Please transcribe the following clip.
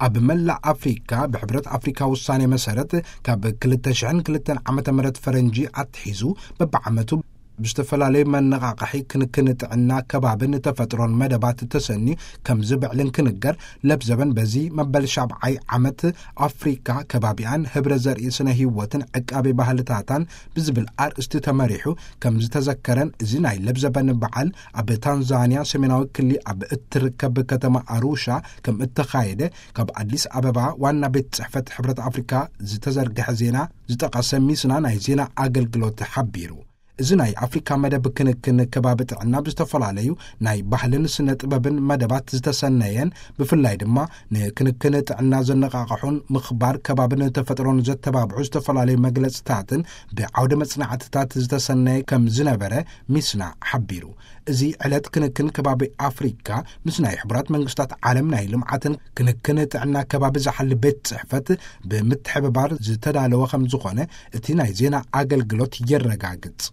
ኣብ መላእ ኣፍሪካ ብሕብረት ኣፍሪካ ውሳኔ መሰረት፣ ካብ ክልተ ሽሕን ክልተን ዓመተ ምህረት ፈረንጂ ኣትሒዙ፣ በብዓመቱ ብዝተፈላለዩ መነቓቕሒ ክንክን ጥዕና ከባብን ተፈጥሮን መደባት ተሰኒ ከም ዝብዕልን ክንገር፣ ለብዘበን በዚ መበል ሻብዓይ ዓመት ኣፍሪካ ከባቢኣን ህብረ ዘርኢ ስነ ህይወትን ዕቃቤ ባህልታታን ብዝብል ኣርእስቲ ተመሪሑ ከም ዝተዘከረን፣ እዚ ናይ ለብዘበን በዓል ኣብ ታንዛንያ ሰሜናዊ ክሊ ኣብ እትርከብ ከተማ ኣሩሻ ከም እተኻየደ ካብ ኣዲስ ኣበባ ዋና ቤት ጽሕፈት ሕብረት ኣፍሪካ ዝተዘርግሐ ዜና ዝጠቐሰ ሚስና ናይ ዜና ኣገልግሎት ሓቢሩ። እዚ ናይ ኣፍሪካ መደብ ክንክን ከባቢ ጥዕና ብዝተፈላለዩ ናይ ባህልን ስነ ጥበብን መደባት ዝተሰነየን፣ ብፍላይ ድማ ንክንክን ጥዕና ዘነቓቕሑን ምኽባር ከባብን ተፈጥሮን ዘተባብዑ ዝተፈላለዩ መግለጽታትን ብዓውደ መጽናዕትታት ዝተሰነየ ከም ዝነበረ ሚስና ሓቢሩ። እዚ ዕለት ክንክን ከባቢ ኣፍሪካ ምስ ናይ ሕቡራት መንግስታት ዓለም ናይ ልምዓትን ክንክን ጥዕና ከባቢ ዝሓሊ ቤት ጽሕፈት ብምትሕብባር ዝተዳለወ ከም ዝኾነ እቲ ናይ ዜና ኣገልግሎት የረጋግጽ።